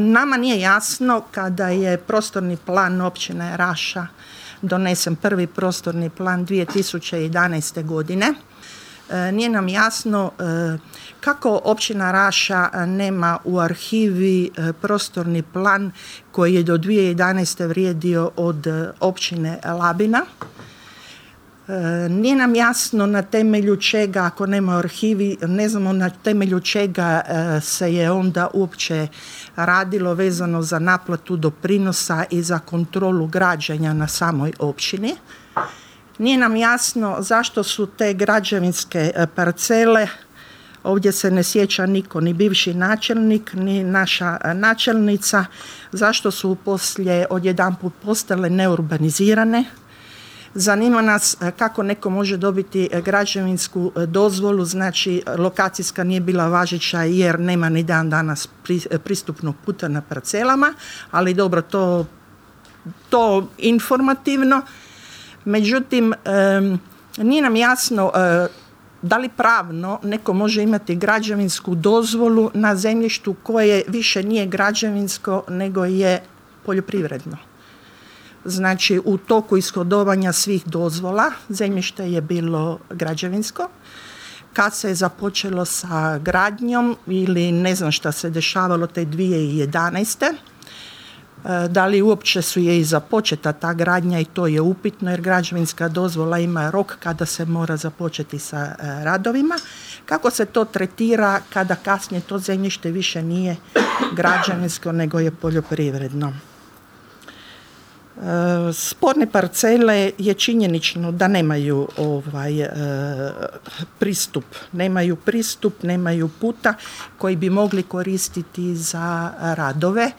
Nama nije jasno kada je prostorni plan općine Raša donesen, prvi prostorni plan 2011. godine. Nije nam jasno kako općina Raša nema u arhivi prostorni plan koji je do 2011. vrijedio od općine Labina. Nije nam jasno na temelju čega, ako nema u arhivi, ne znamo na temelju čega se je onda uopće radilo vezano za naplatu doprinosa i za kontrolu građenja na samoj općini. Nije nam jasno zašto su te građevinske parcele, ovdje se ne sjeća niko, ni bivši načelnik, ni naša načelnica, zašto su poslije odjedanput postale neurbanizirane. Zanima nas kako neko može dobiti građevinsku dozvolu, znači lokacijska nije bila važeća jer nema ni dan danas pristupnog puta na parcelama, ali dobro, to informativno. Međutim, nije nam jasno da li pravno neko može imati građevinsku dozvolu na zemljištu koje više nije građevinsko nego je poljoprivredno. Znači, u toku ishodovanja svih dozvola zemljište je bilo građevinsko. Kad se je započelo sa gradnjom ili ne znam šta se dešavalo te 2011. Da li uopće su je i započeta ta gradnja, i to je upitno jer građevinska dozvola ima rok kada se mora započeti sa radovima. Kako se to tretira kada kasnije to zemljište više nije građevinsko nego je poljoprivredno? Sporne parcele je činjenično da nemaju pristup, nemaju puta koji bi mogli koristiti za radove.